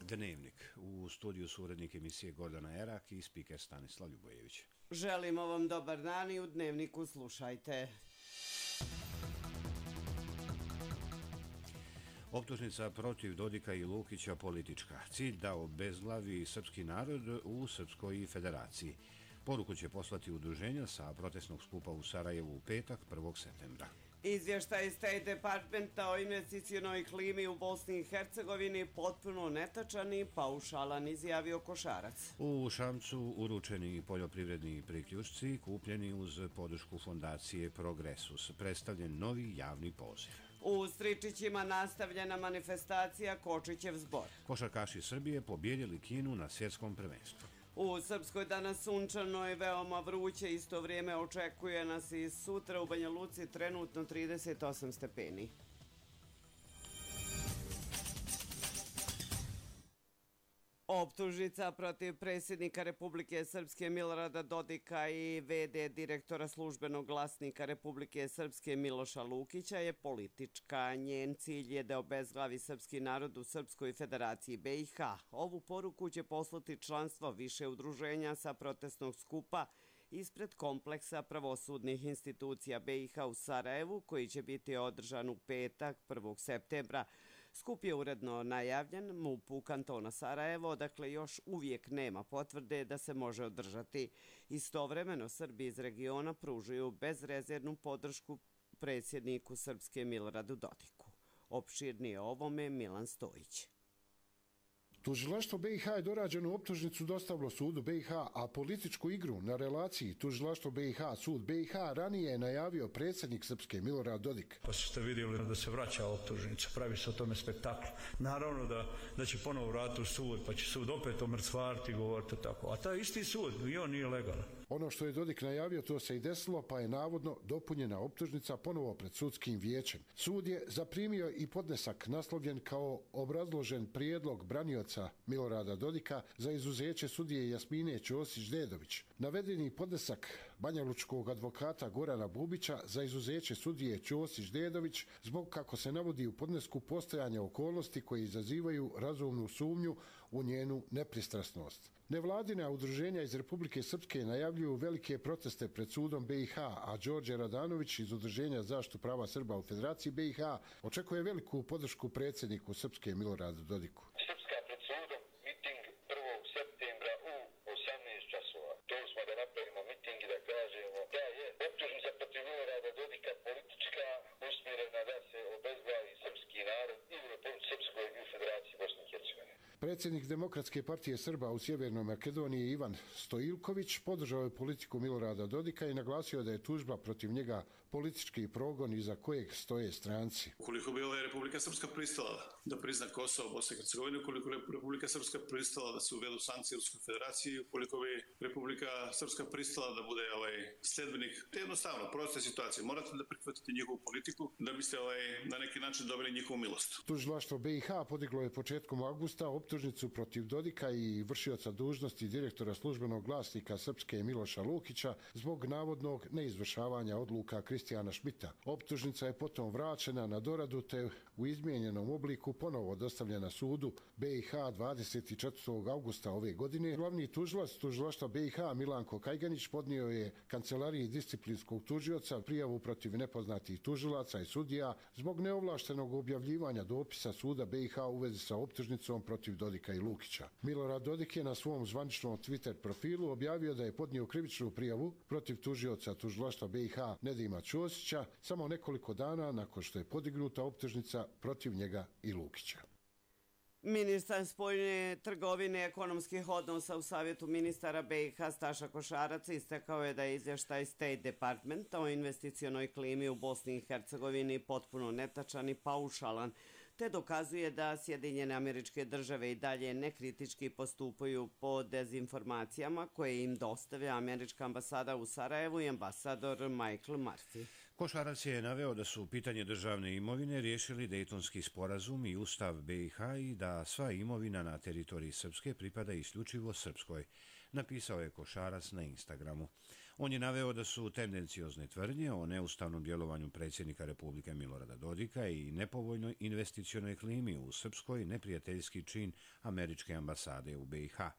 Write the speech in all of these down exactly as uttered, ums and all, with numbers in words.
Dnevnik. U studiju su urednik emisije Gordana Erak i spiker Stanislav Ljubojević. Želimo vam dobar dan i u Dnevniku slušajte. Optužnica protiv Dodika i Lukića politička. Cilj da obezglavi srpski narod u Srpskoj federaciji. Poruku će poslati udruženja sa protestnog skupa u Sarajevu u petak, prvog septembra. Izvještaj State Departmenta o investicionoj klimi u Bosni i Hercegovini potpuno netačan i paušalan, izjavio Košarac. U Šamcu uručeni poljoprivredni priključci kupljeni uz podršku fondacije Progresus. Predstavljen novi javni poziv. U Stričićima nastavljena manifestacija Kočićev zbor. Košarkaši Srbije pobjedili Kinu na svjetskom prvenstvu. U Srpskoj danas sunčano i veoma vruće, isto vrijeme očekuje nas i sutra u Banja Luci trenutno trideset osam stepeni. Optužnica protiv predsjednika Republike Srpske Milorada Dodika i ve de direktora službenog glasnika Republike Srpske Miloša Lukića je politička. Njen cilj je da obezglavi srpski narod u Srpskoj federaciji be i ha. Ovu poruku će poslati članstvo više udruženja sa protestnog skupa ispred kompleksa pravosudnih institucija be i ha u Sarajevu, koji će biti održan u petak, prvog septembra. Skup je uredno najavljen mupu kantona Sarajevo, odakle još uvijek nema potvrde da se može održati. Istovremeno Srbi iz regiona pružuju bezrezervnu podršku predsjedniku Srpske Miloradu Dodiku. Opširnije o ovome Milan Stojić. Tužilaštvo be i ha je dorađenu optužnicu dostavilo sudu be i ha, a političku igru na relaciji Tužilaštvo be i ha, sud be i ha ranije je najavio predsjednik Srpske Milorad Dodik. Pa ste vidjeli da se vraća optužnica, pravi se o tome spektakl. Naravno da, da će ponovo vratiti u sud, pa će sud opet omrcvariti i govoriti tako. A taj isti sud, i on nije legalan. Ono što je Dodik najavio, to se i desilo, pa je navodno dopunjena optužnica ponovo pred sudskim vijećem. Sud je zaprimio i podnesak naslovljen kao obrazložen prijedlog branioca Milorada Dodika za izuzeće sudije Jasmine Ćosić-Dedović. Navedeni podnesak banjalučkog advokata Gorana Bubića za izuzeće sudije Ćosić-Dedović zbog, kako se navodi u podnesku, postojanja okolnosti koje izazivaju razumnu sumnju u njenu nepristrasnost. Nevladina udruženja iz Republike Srpske najavljuju velike proteste pred sudom be i ha, a Đorđe Radanović iz Udruženja zaštitu prava Srba u Federaciji be i ha očekuje veliku podršku predsjedniku Srpske Miloradu Dodiku. Predsjednik Demokratske partije Srba u Sjevernoj Makedoniji Ivan Stojilković podržao je politiku Milorada Dodika i naglasio da je tužba protiv njega politički progon iza kojeg stoje stranci. Ukoliko bi ova Republika Srpska pristala da prizna Kosovo, Bosna i Hercegovina, ukoliko bi Republika Srpska pristala da se uvedu sankcije u Ruskoj federaciji, ukoliko bi Republika Srpska pristala da bude ovaj sledbenik, jednostavno, proste situacije, morate da prihvatite njihovu politiku da biste ovaj, na neki način dobili njihovu milost. Tužilaštvo be i ha podiglo je početkom avgusta optužnicu protiv Dodika i vršioca dužnosti direktora službenog glasnika Srpske Miloša Lukića zbog navodnog neizvršavanja odluka Kristijana Šmita. Optužnica je potom vraćena na doradu te u izmijenjenom obliku ponovo dostavljena sudu be i ha dvadeset četvrtog avgusta ove godine. Glavni tužilac tužilaštva be i ha Milanko Kajganić podnio je kancelariji disciplinskog tužioca prijavu protiv nepoznatih tužilaca i sudija zbog neovlaštenog objavljivanja dopisa suda be i ha u vezi sa optužnicom protiv Dodika i Lukića. Milorad Dodik je na svom zvaničnom Twitter profilu objavio da je podnio krivičnu prijavu protiv tužioca tužilaštva be i ha Nedima Ćosića samo nekoliko dana nakon što je podignuta optužnica protiv njega i Lukića. Ministar spoljne trgovine i ekonomskih odnosa u Savjetu ministara be i ha Staša Košarac istakao je da je izvještaj State Departmenta o investicionoj klimi u Bosni i Hercegovini potpuno netačan i paušalan, te dokazuje da Sjedinjene Američke Države i dalje nekritički postupaju po dezinformacijama koje im dostavlja američka ambasada u Sarajevu i ambasador Michael Murphy. Košarac je naveo da su pitanje državne imovine riješili Dejtonski sporazum i Ustav be i ha i da sva imovina na teritoriji Srpske pripada isključivo Srpskoj. napisao je Košarac na Instagramu. On je naveo da su tendenciozne tvrdnje o neustavnom djelovanju predsjednika Republike Milorada Dodika i nepovoljnoj investicionoj klimi u Srpskoj neprijateljski čin američke ambasade u B i H.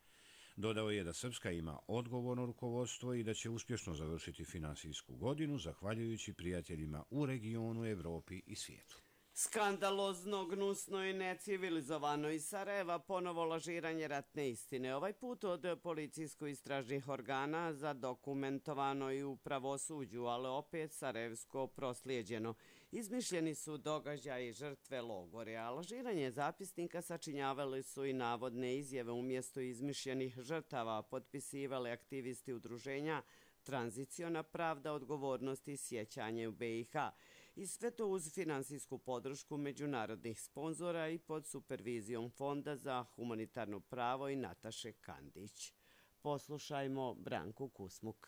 Dodao je da Srpska ima odgovorno rukovodstvo i da će uspješno završiti finansijsku godinu zahvaljujući prijateljima u regionu, Evropi i svijetu. Skandalozno, gnusno i necivilizovano iz Sarajeva ponovo lažiranje ratne istine. Ovaj put od policijsko-istražnih organa zadokumentovano i u pravosuđu, ali opet sarajevsko proslijeđeno. Izmišljeni su događaji žrtve logore, a lažiranje zapisnika sačinjavali su i navodne izjave umjesto izmišljenih žrtava, potpisivali aktivisti udruženja Tranziciona pravda, odgovornost i sjećanje u B i H. I sve to uz finansijsku podršku međunarodnih sponzora i pod supervizijom Fonda za humanitarno pravo i Nataše Kandić. Poslušajmo Branku Kusmuk.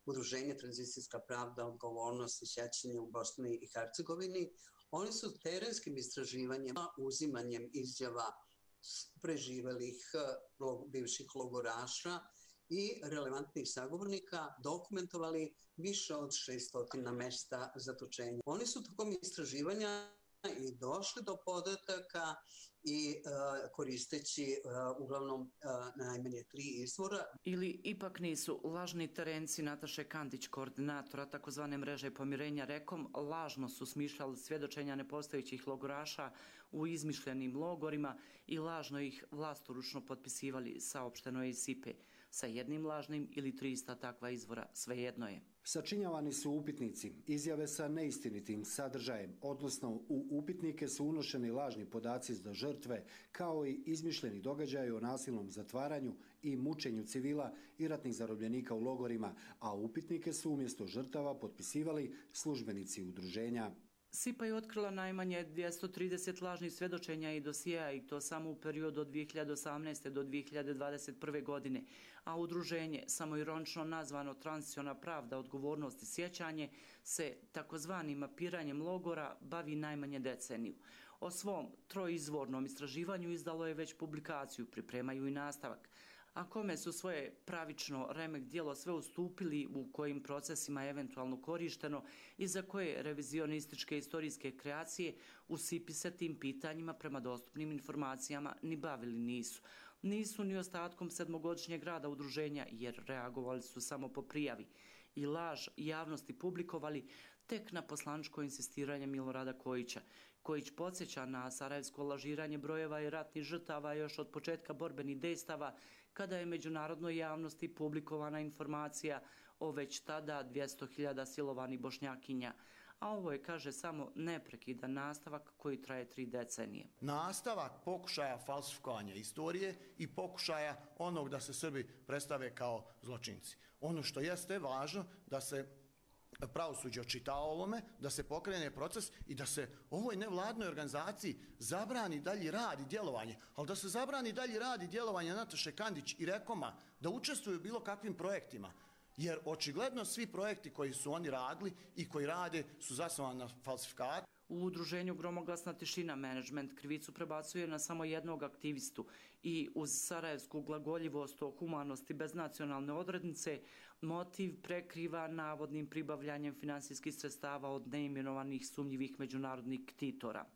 Udruženje Tranzicijska pravda, odgovornost i sjećanje u Bosni i Hercegovini, oni su terenskim istraživanjima, uzimanjem izjava preživelih bivših logoraša i relevantnih sagovornika dokumentovali više od šesto mjesta zatočenja. Oni su tokom istraživanja i došli do podataka i uh, koristeći uh, uglavnom uh, najmanje tri izvora. Ili ipak nisu lažni terenci Nataše Kandić, koordinatora takozvane mreže pomirenja Rekom, lažno su smišljali svjedočenja nepostojećih logoraša u izmišljenim logorima i lažno ih vlastoručno potpisivali, saopšteno je iz S I P E. Sa jednim lažnim ili trista takva izvora, svejedno je. Sačinjavani su upitnici, izjave sa neistinitim sadržajem, odnosno u upitnike su unošeni lažni podaci za žrtve, kao i izmišljeni događaji o nasilnom zatvaranju i mučenju civila i ratnih zarobljenika u logorima, a upitnike su umjesto žrtava potpisivali službenici udruženja. S I P A je otkrila najmanje dvjesto trideset lažnih svjedočenja i dosijeja i to samo u periodu od dvije hiljade osamnaeste. do dvije hiljade dvadeset prve. godine, a udruženje, samoironično nazvano Tranziciona pravda, odgovornost i sjećanje, se takozvanim mapiranjem logora bavi najmanje deceniju. O svom troizvornom istraživanju izdalo je već publikaciju, pripremaju i nastavak. A kome su svoje pravično remek djelo sve ustupili, u kojim procesima je eventualno korišteno i za koje revizionističke istorijske kreacije u S I P I se tim pitanjima prema dostupnim informacijama ni bavili nisu. Nisu ni ostatkom sedmogodišnjeg rada udruženja, jer reagovali su samo po prijavi i laž javnosti publikovali tek na poslaničko insistiranje Milorada Kojića. Kojić podsjeća na sarajevsko lažiranje brojeva i ratnih žrtava još od početka borbenih dejstava, kada je međunarodnoj javnosti publikovana informacija o već tada dvjesto hiljada silovanih Bošnjakinja. A ovo je, kaže, samo neprekidan nastavak koji traje tri decenije. Nastavak pokušaja falsifikovanja istorije i pokušaja onog da se Srbi predstave kao zločinci. Ono što jeste važno da se pravosuđe očita o ovome, da se pokrene proces i da se ovoj nevladnoj organizaciji zabrani dalji rad i djelovanje, ali da se zabrani dalji rad i djelovanje Nataše Kandić i Rekoma da učestvuju u bilo kakvim projektima. Jer očigledno svi projekti koji su oni radili i koji rade su zasnovani na falsifikatu. U udruženju Gromoglasna tišina menadžment krivicu prebacuje na samo jednog aktivistu i uz sarajevsku glagoljivost o humanosti bez nacionalne odrednice motiv prekriva navodnim pribavljanjem finansijskih sredstava od neimenovanih sumnjivih međunarodnih ktitora.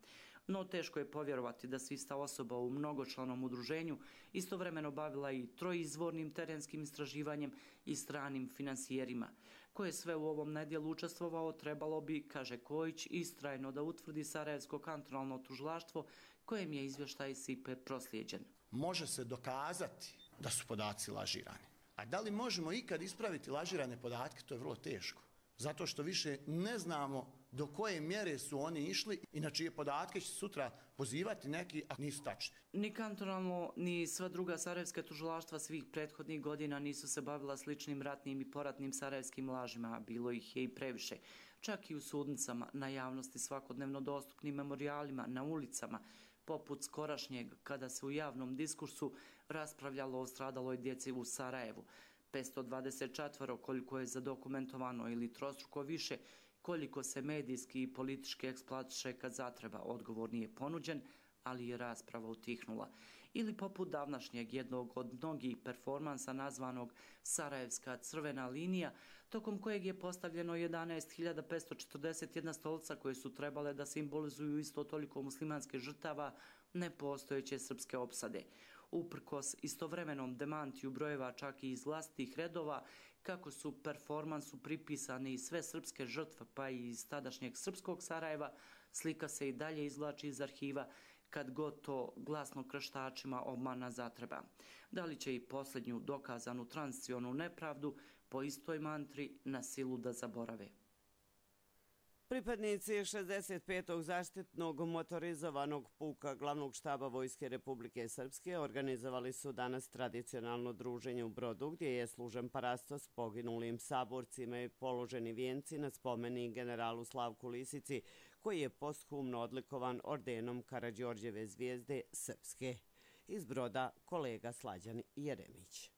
No teško je povjerovati da se ista osoba u mnogočlanom udruženju istovremeno bavila i troizvornim terenskim istraživanjem i stranim finansijerima. Ko je sve u ovom nedjelu učestvovao, trebalo bi, kaže Kojić, istrajno da utvrdi sarajevsko kantonalno tužilaštvo kojem je izvještaj S I P E proslijeđen. Može se dokazati da su podaci lažirani. A da li možemo ikad ispraviti lažirane podatke, to je vrlo teško. Zato što više ne znamo do koje mjere su oni išli i na čije podatke će sutra pozivati neki, a nisu tačni. Ni kantonalno, ni sva druga sarajevska tužilaštva svih prethodnih godina nisu se bavila sličnim ratnim i poratnim sarajevskim lažima, a bilo ih je i previše. Čak i u sudnicama, na javnosti svakodnevno dostupnim memorijalima, na ulicama, poput skorašnjeg, kada se u javnom diskursu raspravljalo o stradaloj djeci u Sarajevu. petsto dvadeset četiri koliko je zadokumentovano ili trostruko više, koliko se medijski i politički eksploatiše kad zatreba, odgovor nije ponuđen, ali je rasprava utihnula. ili poput davnašnjeg jednog od mnogih performansa nazvanog Sarajevska crvena linija, tokom kojeg je postavljeno jedanaest hiljada petsto četrdeset jedna stolica koje su trebale da simbolizuju isto toliko muslimanske žrtava nepostojeće srpske opsade. Uprkos istovremenom demantiju brojeva čak i iz vlastitih redova, kako su performansu pripisane i sve srpske žrtve pa i iz tadašnjeg srpskog Sarajeva, slika se i dalje izvlači iz arhiva kad god to glasno krštačima obmana zatreba. Da li će i posljednju dokazanu transicionu nepravdu po istoj mantri na silu da zaborave? Pripadnici šezdeset petog zaštitnog motorizovanog puka glavnog štaba Vojske Republike Srpske organizovali su danas tradicionalno druženje u Brodu gdje je služen parastos poginulim saborcima i položeni vijenci na spomenik generalu Slavku Lisici koji je posthumno odlikovan ordenom Karađorđeve zvijezde Srpske. Iz Broda kolega Slađan Jeremić.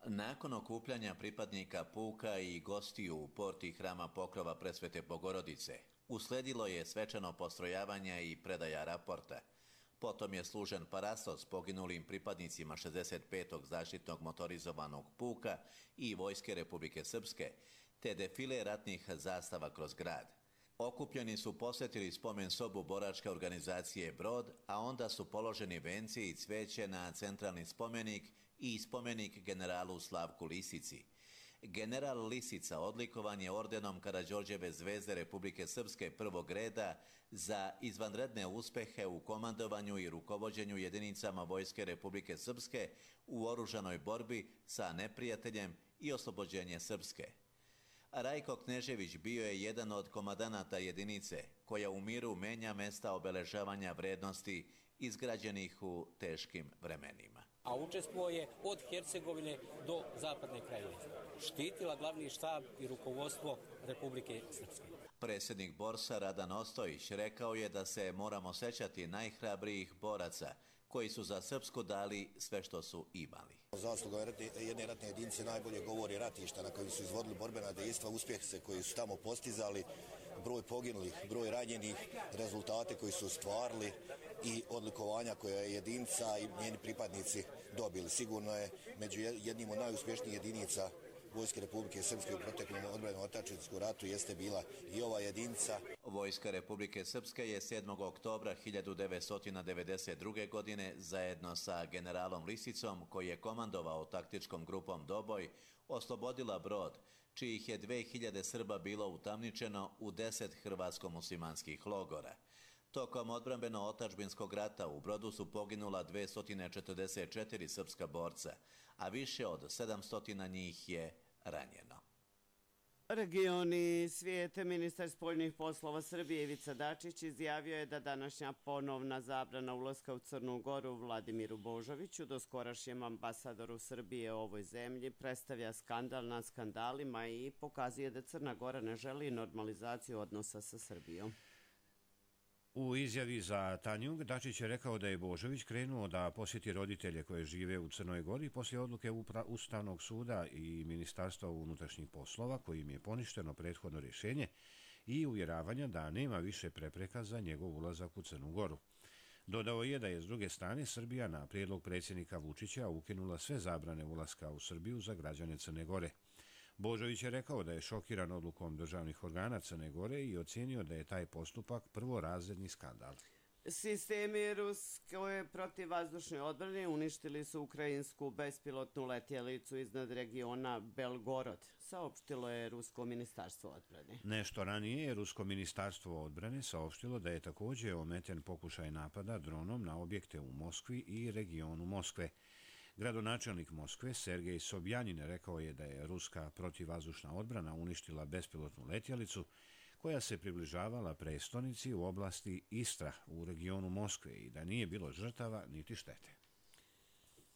Nakon okupljanja pripadnika puka i gostiju u porti hrama Pokrova Presvete Bogorodice, usledilo je svečano postrojavanje i predaja raporta. Potom je služen parastos poginulim pripadnicima šezdeset petog zaštitnog motorizovanog puka i Vojske Republike Srpske, te defile ratnih zastava kroz grad. Okupljeni su posjetili spomen sobu boračke organizacije Brod, a onda su položeni venci i cveće na centralni spomenik i spomenik generalu Slavku Lisici. General Lisica odlikovan je ordenom Karađorđeve zvezde Republike Srpske prvog reda za izvanredne uspehe u komandovanju i rukovođenju jedinicama Vojske Republike Srpske u oružanoj borbi sa neprijateljem i oslobođenje Srpske. Rajko Knežević bio je jedan od komandanata jedinice koja u miru menja mesta obeležavanja vrednosti izgrađenih u teškim vremenima. A učestvovao je od Hercegovine do Zapadne Krajine. Štitila glavni štab i rukovodstvo Republike Srpske. Predsjednik Borsa Radan Ostojić rekao je da se moramo sećati najhrabrijih boraca koji su za Srpsku dali sve što su imali. Zasluga jedne ratne jedinice najbolje govori ratišta na kojim su izvodili borbena dejstva, uspjehe koji su tamo postizali, broj poginulih, broj ranjenih, rezultate koji su ostvarili i odlikovanja koje je jedinica i njeni pripadnici dobili. Sigurno je među jednim od najuspješnijih jedinica Vojske Republike Srpske u proteklom odbrambenom otadžbinskom ratu jeste bila i ova jedinica. Vojska Republike Srpske je sedmog oktobra hiljadu devetsto devedeset druge. godine zajedno sa generalom Lisicom, koji je komandovao taktičkom grupom Doboj, oslobodila Brod, čijih je dve hiljade Srba bilo utamničeno u deset hrvatsko-muslimanskih logora. Tokom odbrambeno-otadžbinskog rata u Brodu su poginula dvesta četrdeset četiri srpska borca, a više od sedamsto njih je ranjeno. Regioni svijete, ministar spoljnih poslova Srbije Ivica Dačić izjavio je da današnja ponovna zabrana ulaska u Crnu Goru Vladimiru Božoviću, doskorašnjem ambasadoru Srbije u ovoj zemlji, predstavlja skandal na skandalima i pokazuje da Crna Gora ne želi normalizaciju odnosa sa Srbijom. U izjavi za Tanjug, Dačić je rekao da je Božović krenuo da posjeti roditelje koje žive u Crnoj Gori poslije odluke Ustavnog suda i Ministarstva unutrašnjih poslova kojim je poništeno prethodno rješenje i uvjeravanja da nema više prepreka za njegov ulazak u Crnu Goru. Dodao je da je s druge strane Srbija na prijedlog predsjednika Vučića ukinula sve zabrane ulaska u Srbiju za građane Crne Gore. Božović je rekao da je šokiran odlukom državnih organa Crne Gore i ocijenio da je taj postupak prvorazredni skandal. Sistemi ruske protivvazdušne odbrane uništili su ukrajinsku bespilotnu letjelicu iznad regiona Belgorod, saopštilo je Rusko ministarstvo odbrane. Nešto ranije je Rusko ministarstvo odbrane saopštilo da je također ometen pokušaj napada dronom na objekte u Moskvi i regionu Moskve. Gradonačelnik Moskve Sergej Sobjanin rekao je da je ruska protivvazdušna odbrana uništila bespilotnu letjelicu koja se približavala prestonici u oblasti Istra u regionu Moskve i da nije bilo žrtava niti štete.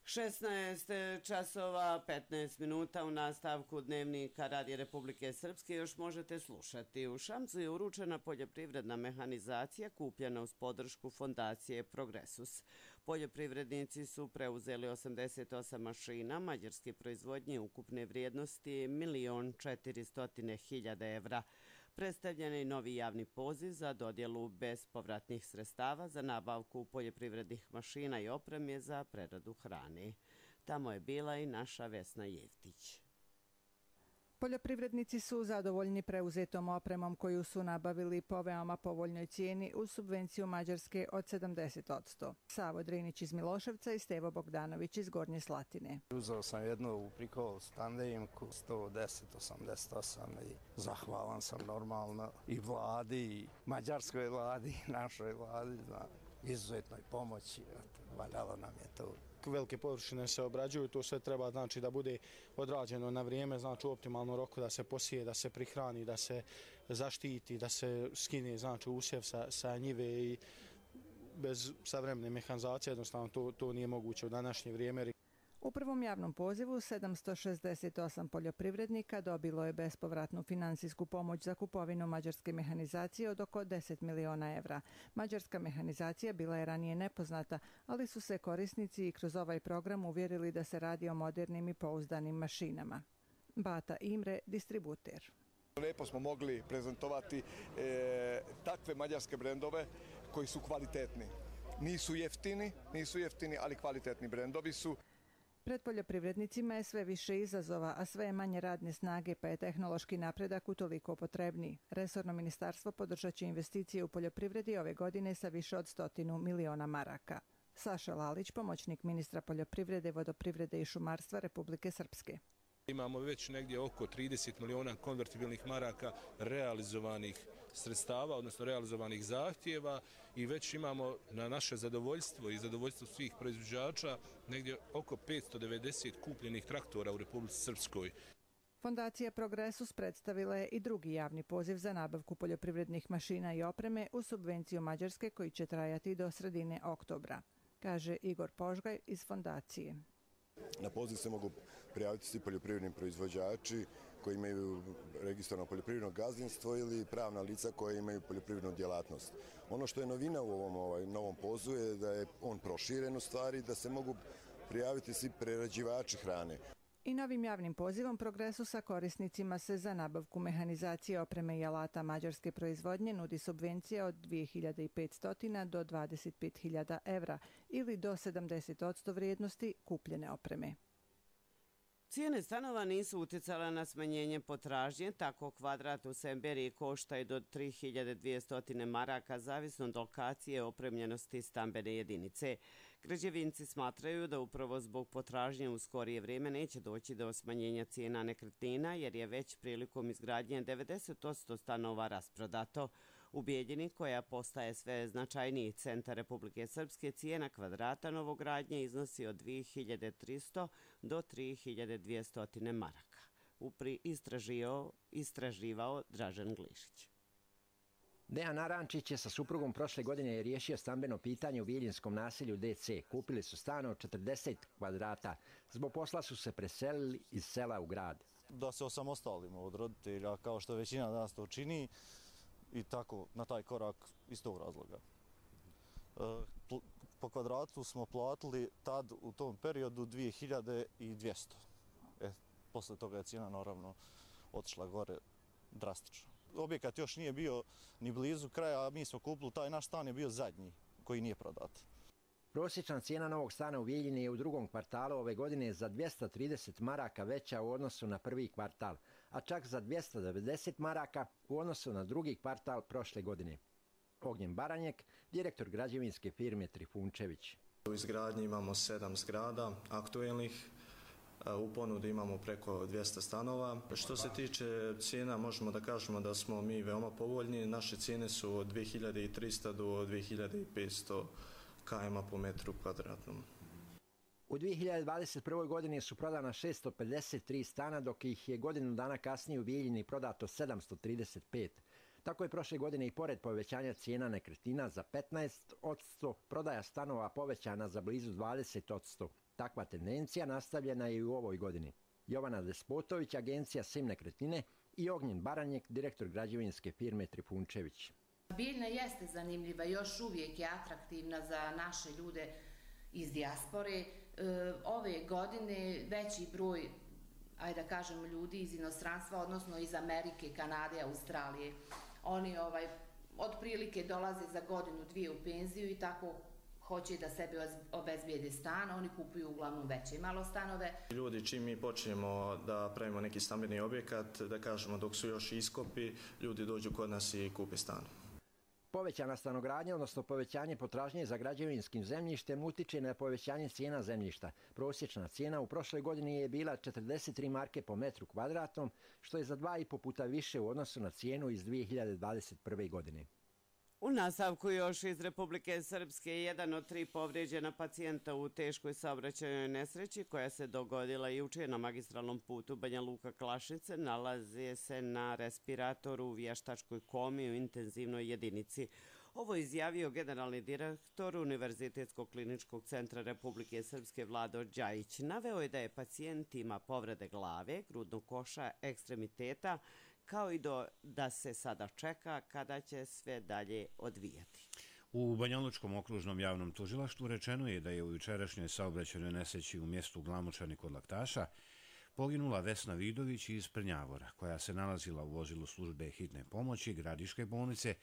šesnaest časova petnaest minuta u nastavku dnevnika Radija Republike Srpske još možete slušati. U Šamcu je uručena poljoprivredna mehanizacija kupljena uz podršku fondacije Progresus. Poljoprivrednici su preuzeli osamdeset osam mašina mađarske proizvodnje ukupne vrijednosti milion četiristo hiljada evra. Predstavljen je novi javni poziv za dodjelu bespovratnih sredstava za nabavku poljoprivrednih mašina i opreme za preradu hrane. Tamo je bila i naša Vesna Jevtić. Poljoprivrednici su zadovoljni preuzetom opremom koju su nabavili po veoma povoljnoj cijeni uz subvenciju Mađarske od sedamdeset posto. Savo Drinić iz Miloševca i Stevo Bogdanović iz Gornje Slatine. Uzeo sam jednu u prikol standejimku sto deset osamdeset osam i zahvalan sam normalno i vladi, i mađarskoj vladi, i našoj vladi na izuzetnoj pomoći. Valjalo nam je to. Velike površine se obrađuju, to sve treba znači da bude odrađeno na vrijeme, znači u optimalnom roku da se posije, da se prihrani, da se zaštiti, da se skine znači usjev sa, sa njive i bez savremene mehanizacije jednostavno to, to nije moguće u današnje vrijeme. U prvom javnom pozivu sedamsto šezdeset osam poljoprivrednika dobilo je bespovratnu finansijsku pomoć za kupovinu mađarske mehanizacije od oko deset miliona evra. Mađarska mehanizacija bila je ranije nepoznata, ali su se korisnici i kroz ovaj program uvjerili da se radi o modernim i pouzdanim mašinama. Bata Imre, distributer. Lepo smo mogli prezentovati e, takve mađarske brendove koji su kvalitetni. Nisu jeftini, nisu jeftini, ali kvalitetni brendovi su. Pred poljoprivrednicima je sve više izazova, a sve je manje radne snage, pa je tehnološki napredak utoliko potrebniji. Resorno ministarstvo podržat će investicije u poljoprivredi ove godine sa više od stotinu miliona maraka. Saša Lalić, pomoćnik ministra poljoprivrede, vodoprivrede i šumarstva Republike Srpske. Imamo već negdje oko trideset miliona konvertibilnih maraka realizovanih sredstava, odnosno realizovanih zahtjeva i već imamo na naše zadovoljstvo i zadovoljstvo svih proizvođača negdje oko petsto devedeset kupljenih traktora u Republici Srpskoj. Fondacija Progresus predstavila je i drugi javni poziv za nabavku poljoprivrednih mašina i opreme u subvenciju Mađarske koji će trajati do sredine oktobra, kaže Igor Požgaj iz fondacije. Na poziv se mogu prijaviti svi poljoprivredni proizvođači koji imaju registrovano poljoprivredno gazdinstvo ili pravna lica koje imaju poljoprivrednu djelatnost. Ono što je novina u ovom ovaj, novom pozivu je da je on proširen u stvari, da se mogu prijaviti svi prerađivači hrane. I novim javnim pozivom Progresusa korisnicima se za nabavku mehanizacije, opreme i alata mađarske proizvodnje nudi subvencija od dvije hiljade petsto do dvadeset pet hiljada evra ili do sedamdeset posto vrijednosti kupljene opreme. Cijene stanova nisu utjecale na smanjenje potražnje, tako kvadrat u Semberiji košta i do tri hiljade dvjesto maraka, zavisno od lokacije opremljenosti stambene jedinice. Građevinci smatraju da upravo zbog potražnje u skorije vrijeme neće doći do smanjenja cijena nekretnina, jer je već prilikom izgradnje devedeset posto stanova rasprodato. U Bijeljini, koja postaje sve značajniji centar Republike Srpske, cijena kvadrata novogradnje iznosi od dvije hiljade tristo do tri hiljade dvjesto maraka. Upri istraživao, istraživao Dražen Glišić. Dejan Arančić je sa suprugom prošle godine riješio stambeno pitanje u biljinskom naselju D C. Kupili su stan od četrdeset kvadrata. Zbog posla su se preselili iz sela u grad. Da se osamostalimo od roditelja, kao što većina nas to čini, i tako na taj korak iz tog razloga. Po kvadratu smo platili tad u tom periodu dvije hiljade dvjesto. E, posle toga je cijena naravno otišla gore drastično. Objekat još nije bio ni blizu kraja, a mi smo kupili, taj naš stan je bio zadnji koji nije prodat. Prosječna cijena novog stana u Bijeljini je u drugom kvartalu ove godine za dvjesto trideset maraka veća u odnosu na prvi kvartal, a čak za dvjesto devedeset maraka u odnosu na drugi kvartal prošle godine. Ognjen Baranjek, direktor građevinske firme Trifunčević. U izgradnji imamo sedam zgrada aktuelnih, u ponudi imamo preko dvjesto stanova. Što se tiče cijena, možemo da kažemo da smo mi veoma povoljni. Naše cijene su od dvije hiljade tristo do dvije hiljade petsto km po metru kvadratnom. U dvije hiljade dvadeset prvoj. godini su prodana šesto pedeset tri stana, dok ih je godinu dana kasnije u Bijeljini prodato sedamsto trideset pet. Tako je prošle godine i pored povećanja cijena nekretnina za petnaest posto, prodaja stanova povećana za blizu dvadeset posto. Takva tendencija nastavljena je i u ovoj godini. Jovana Despotović, agencija Sim nekretnine, i Ognjen Baranjek, direktor građevinske firme Trifunčević. Bijeljina jeste zanimljiva, još uvijek je atraktivna za naše ljude iz dijaspore. Ove godine veći broj ajde da kažem, ljudi iz inostranstva, odnosno iz Amerike, Kanade, Australije. Oni ovaj, otprilike dolaze za godinu, dvije u penziju i tako hoće da sebi obezbijede stan, oni kupuju uglavnom veće malo stanove. Ljudi, čim mi počnemo da pravimo neki stambeni objekat, da kažemo dok su još iskopi, ljudi dođu kod nas i kupe stan. Povećana stanogradnja, odnosno povećanje potražnje za građevinskim zemljištem, utiče na povećanje cijena zemljišta. Prosječna cijena u prošloj godini je bila četrdeset tri marke po metru kvadratnom, što je za dva i po puta više u odnosu na cijenu iz dvije hiljade dvadeset prve. godine. U nastavku još iz Republike Srpske, jedan od tri povrijeđena pacijenta u teškoj saobraćajnoj nesreći koja se dogodila juče na magistralnom putu Banja Luka-Klašnice nalazi se na respiratoru u vještačkoj komi u intenzivnoj jedinici. Ovo je izjavio generalni direktor Univerzitetskog kliničkog centra Republike Srpske Vlado Đajić. Naveo je da je pacijent ima povrede glave, grudnog koša, ekstremiteta, kao i do, da se sada čeka kada će sve dalje odvijati. U Banjalučkom okružnom javnom tužilaštvu rečeno je da je u jučerašnjoj saobraćajnoj nesreći u mjestu Glamočani kod Laktaša poginula Vesna Vidović iz Prnjavora, koja se nalazila u vozilu službe hitne pomoći Gradiške bolnice,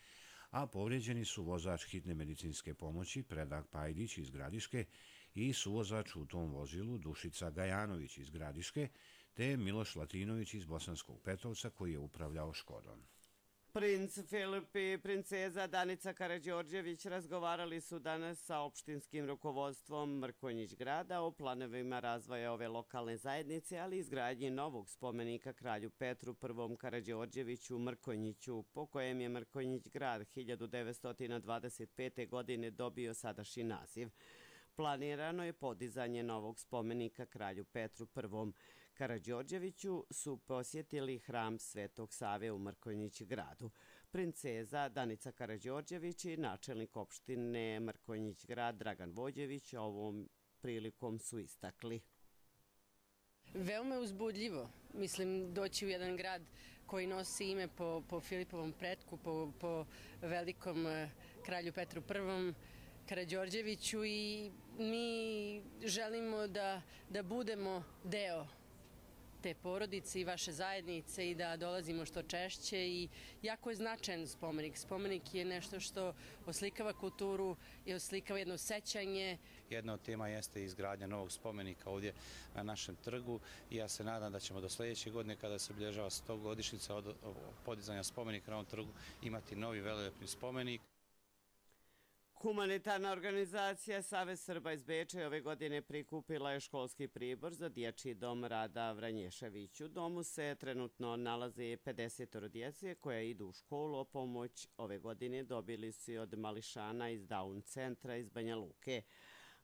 a povrijeđeni su vozač hitne medicinske pomoći Predrag Pajdić iz Gradiške i suvozač u tom vozilu Dušica Gajanović iz Gradiške, te Miloš Latinović iz Bosanskog Petrovca koji je upravljao Škodom. Princ Filip i princeza Danica Karađorđević razgovarali su danas sa opštinskim rukovodstvom Mrkonjić grada o planovima razvoja ove lokalne zajednice, ali i izgradnji novog spomenika kralju Petru I. Karađorđeviću u Mrkonjiću, po kojem je Mrkonjić grad hiljadu devetsto dvadeset pete. godine dobio sadašnji naziv. Planirano je podizanje novog spomenika kralju Petru I. Karađorđeviću su posjetili hram Svetog Save u Mrkonjić gradu. Princeza Danica Karađorđević i načelnik opštine Mrkonjić grad Dragan Vođević ovom prilikom su istakli. Veoma je uzbudljivo. Mislim, doći u jedan grad koji nosi ime po, po Filipovom pretku, po, po velikom kralju Petru I. Karađorđeviću i mi želimo da, da budemo deo te porodice i vaše zajednice i da dolazimo što češće i jako je značajan spomenik. Spomenik je nešto što oslikava kulturu i oslikava jedno sećanje. Jedna od tema jeste izgradnja novog spomenika ovdje na našem trgu i ja se nadam da ćemo do sljedeće godine kada se obilježava sto godišnjica od podizanja spomenika na ovom trgu imati novi velelepni spomenik. Humanitarna organizacija Savez Srba iz Beča ove godine prikupila je školski pribor za dječji dom Rada Vranješević. U domu se trenutno nalazi pedeset djece koja idu u školu. O pomoć ove godine dobili su od mališana iz Down centra iz Banja Luke.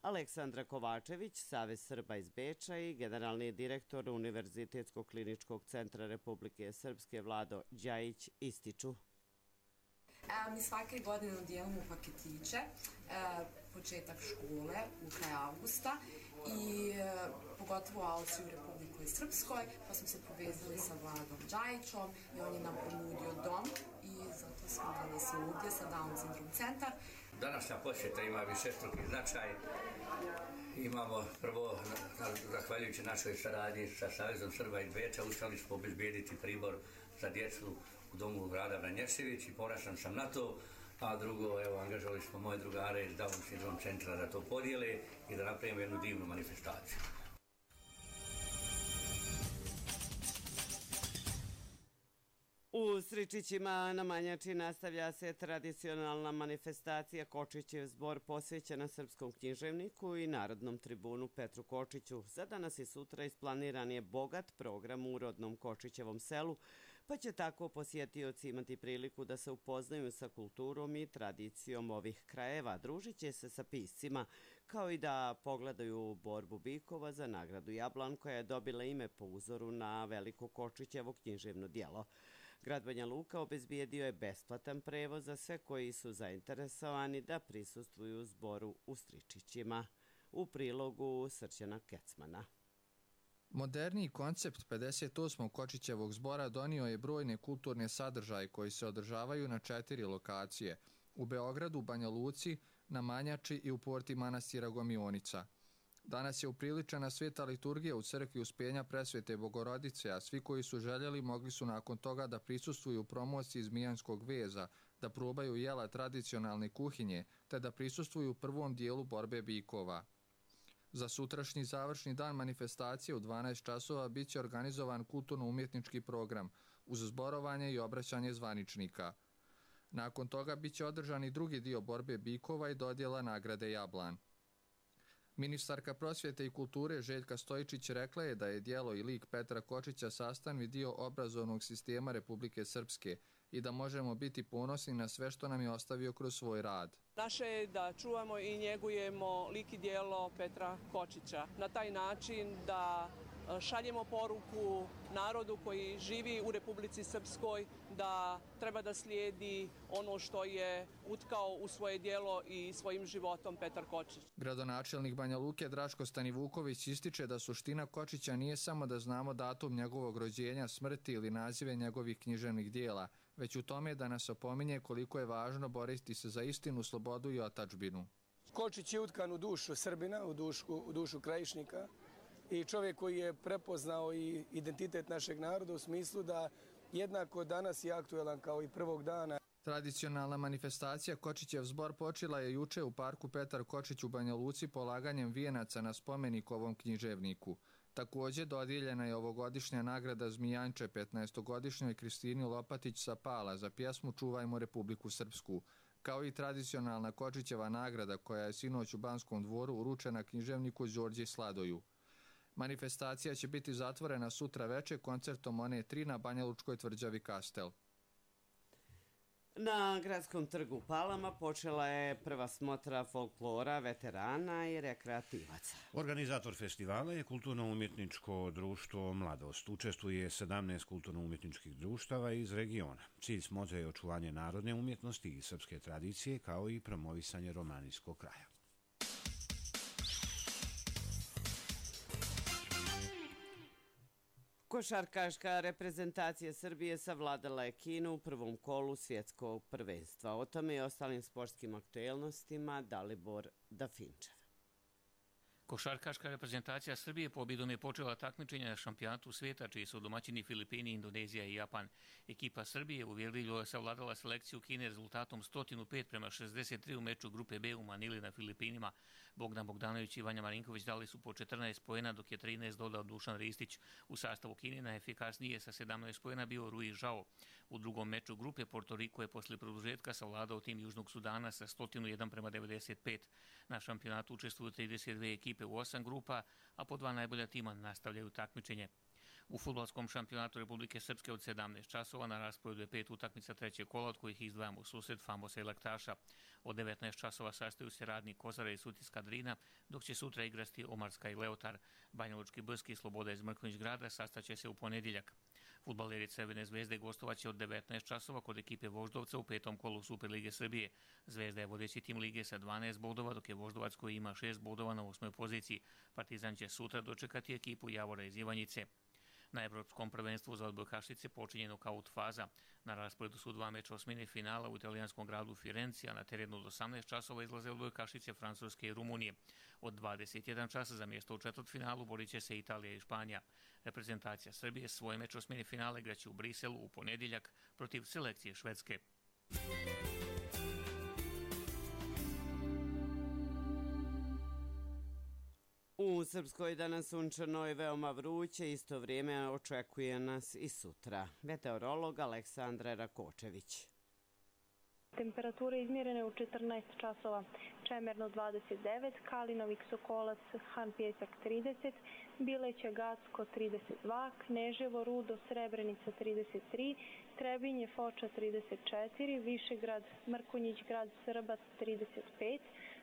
Aleksandra Kovačević, Savez Srba iz Beča i generalni direktor Univerzitetskog kliničkog centra Republike Srpske Vlado Đajić ističu. Mi svake godine dijelimo paketiće, početak škole u kraju avgusta i pogotovo Alci u Republikoj Srpskoj, pa smo se povezali sa Vladom Đajićom i on je nam ponudio dom i zato smo danas ovdje sa Down Syndrome centar. Današnja posjeta ima višestruki značaj. Imamo prvo, zahvaljujući našoj saradnji sa Savezom Srba iz Beča, uspjeli smo obezbijediti pribor za djecu u domu Rada Vranješević i ponosan sam na to, a drugo, evo, angažovali smo moje drugare iz Down Syndrome centra da to podijele i da napravimo jednu divnu manifestaciju. U Sričićima na Manjači nastavlja se tradicionalna manifestacija Kočićev zbor posvećena srpskom književniku i narodnom tribunu Petru Kočiću. Za danas i sutra isplaniran je bogat program u rodnom Kočićevom selu, pa će tako posjetioci imati priliku da se upoznaju sa kulturom i tradicijom ovih krajeva, družit će se sa piscima, kao i da pogledaju borbu bikova za nagradu Jablan koja je dobila ime po uzoru na veliko Kočićevo književno djelo. Grad Banja Luka obezbijedio je besplatan prevoz za sve koji su zainteresovani da prisustvuju zboru u Stričićima. U prilogu Srđana Kecmana. Moderniji koncept pedeset osmog Kočićevog zbora donio je brojne kulturne sadržaje koji se održavaju na četiri lokacije: u Beogradu, Banja Luci, na Manjači i u porti manastira Gomionica. Danas je upriličena sveta liturgija u crkvi Uspenja Presvete Bogorodice, a svi koji su željeli mogli su nakon toga da prisustvuju promociji zmijanskog veza, da probaju jela tradicionalne kuhinje, te da prisustvuju prvom dijelu borbe bikova. Za sutrašnji završni dan manifestacije u dvanaest časova bit će organizovan kulturno-umjetnički program uz zborovanje i obraćanje zvaničnika. Nakon toga bit će održan i drugi dio borbe bikova i dodjela nagrade Jablan. Ministarka prosvjete i kulture Željka Stojičić rekla je da je djelo i lik Petra Kočića sastavni dio obrazovnog sistema Republike Srpske i da možemo biti ponosni na sve što nam je ostavio kroz svoj rad. Naše je da čuvamo i njegujemo lik i djelo Petra Kočića. Na taj način da šaljemo poruku narodu koji živi u Republici Srpskoj da treba da slijedi ono što je utkao u svoje djelo i svojim životom Petar Kočić. Gradonačelnik Banja Luke Draško Stanivuković ističe da suština Kočića nije samo da znamo datum njegovog rođenja, smrti ili nazive njegovih književnih dijela, već u tome da nas opominje koliko je važno boriti se za istinu, slobodu i otadžbinu. Kočić je utkan u dušu Srbina, u dušu, u dušu Krajišnika i čovjek koji je prepoznao i identitet našeg naroda u smislu da jednako danas je aktuelan kao i prvog dana. Tradicionalna manifestacija Kočićev zbor počela je juče u parku Petar Kočić u Banja Luci polaganjem vijenaca na spomenik ovom književniku. Također dodijeljena je ovogodišnja nagrada Zmijanče petnaestogodišnjoj Kristini Lopatić sa Pala za pjesmu Čuvajmo Republiku Srpsku, kao i tradicionalna Kočićeva nagrada koja je sinoć u Banskom dvoru uručena književniku Đorđe Sladoju. Manifestacija će biti zatvorena sutra veče koncertom One tri na Banjalučkoj tvrđavi Kastel. Na Gradskom trgu Palama počela je prva smotra folklora, veterana i rekreativaca. Organizator festivala je Kulturno-umjetničko društvo Mladost. Učestvuje sedamnaest kulturno-umjetničkih društava iz regiona. Cilj smotre je očuvanje narodne umjetnosti i srpske tradicije, kao i promovisanje romanijskog kraja. Košarkaška reprezentacija Srbije savladala je Kinu u prvom kolu svjetskog prvenstva. O tome i ostalim sportskim aktuelnostima Dalibor Dafinčev. Košarkaška reprezentacija Srbije pobjedom je počela takmičenje na šampionatu svijeta, čiji su domaćini Filipini, Indonezija i Japan. Ekipa Srbije uvjerljivo je savladala selekciju Kine rezultatom sto pet prema šezdeset tri u meču grupe B u Manili na Filipinima. Bogdan Bogdanović i Vanja Marinković dali su po četrnaest poena, dok je trinaest dodao Dušan Ristić. U sastavu Kine najefikasnije sa sedamnaest poena bio Rui Žao. U drugom meču grupe Porto Riko je posle produžetka savladao tim Južnog Sudana sa sto jedan prema devedeset pet. Na šampionatu učestvuju trideset dve ekipe u osam grupa, a po dva najbolja tima nastavljaju takmičenje. U fudbalskom šampionatu Republike Srpske od sedamnaest časova na rasporedu je pet utakmica trećeg kola, od kojih izdvajamo susret Famosa i Laktaša. Od devetnaest časova sastaju se Radnik Kozara i Sutiska Drina, dok će sutra igrati Omarska i Leotar. Banjalučki Brski i Sloboda iz Mrkonjić grada sastaće se u ponedjeljak. Fudbaleri Crvene zvezde gostovaće od devetnaest časova kod ekipe Voždovca u petom kolu Superlige Srbije. Zvezda je vodeći tim lige sa dvanaest bodova, dok je Voždovac koji ima šest bodova na osmoj poziciji. Partizan će sutra dočekati ekipu Javora iz Ivanjice. Na evropskom prvenstvu za odbojkašice počinje nokaut faza. Na rasporedu su dva meča osmine finala u italijanskom gradu Firenci, a na terenu od osamnaest časova izlaze odbojkašice Francuske i Rumunije. Od dvadeset jedan časa za mjesto u četvrtfinalu borit će se Italija i Španija. Reprezentacija Srbije svoj meč osmine finala igraće u Briselu u ponedjeljak protiv selekcije Švedske. U Srpskoj danas sunčano i veoma vruće, isto vrijeme očekuje nas i sutra. Meteorolog Aleksandra Rakočević. Temperature izmjerene u četrnaest časova, Čemerno dvadeset devet, Kalinovik, Sokolac, Han Pjesak trideset, Bileća, Gacko trideset dva, Kneževo, Rudo, Srebrenica trideset tri, Trebinje, Foča trideset četiri, Višegrad, Mrkonjić, Grad Srbac trideset pet,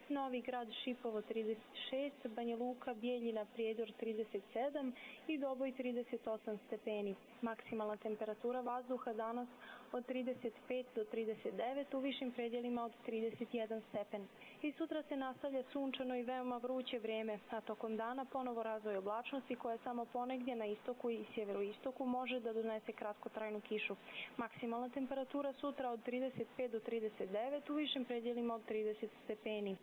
Novi Grad, Šipovo trideset šest, Banja Luka, Bijeljina, Prijedor trideset sedam i Doboj trideset osam stepeni. Maksimalna temperatura vazduha danas od trideset pet do trideset devet, u višim predjelima od trideset jedan stepen. I sutra se nastavlja sunčano i veoma vruće vrijeme, a tokom dana ponovo razvoj oblačnosti koja samo ponegdje na istoku i sjeveroistoku može da donese kratkotrajnu kišu. Maksimalna temperatura sutra od trideset pet do trideset devet, u višim predjelima od trideset stepeni.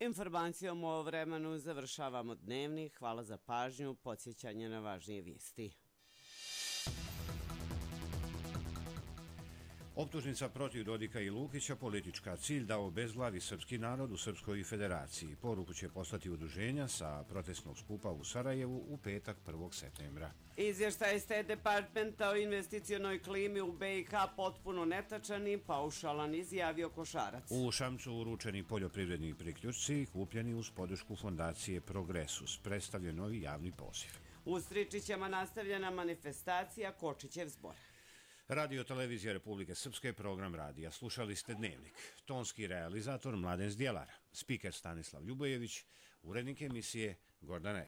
Informacijom o vremenu završavamo dnevni. Hvala za pažnju, podsjećanje na važnije vijesti. Optužnica protiv Dodika i Lukića politička, cilj da obezglavi srpski narod u Srpskoj federaciji. Poruku će poslati udruženja sa protestnog skupa u Sarajevu u petak prvog septembra. Izvještaj State Departmenta o investicionoj klimi u B i H potpuno netačan i paušalan, izjavio Košarac. U Šamcu uručeni poljoprivredni priključci kupljeni uz podršku fondacije Progresus. Predstavljen novi javni poziv. U Stričićama nastavljena manifestacija Kočićev zbor. Radio Televizija Republike Srpske, program radija. Slušali ste Dnevnik. Tonski realizator Mladen Zdjelar. Spiker Stanislav Ljubojević. Urednik emisije Gordana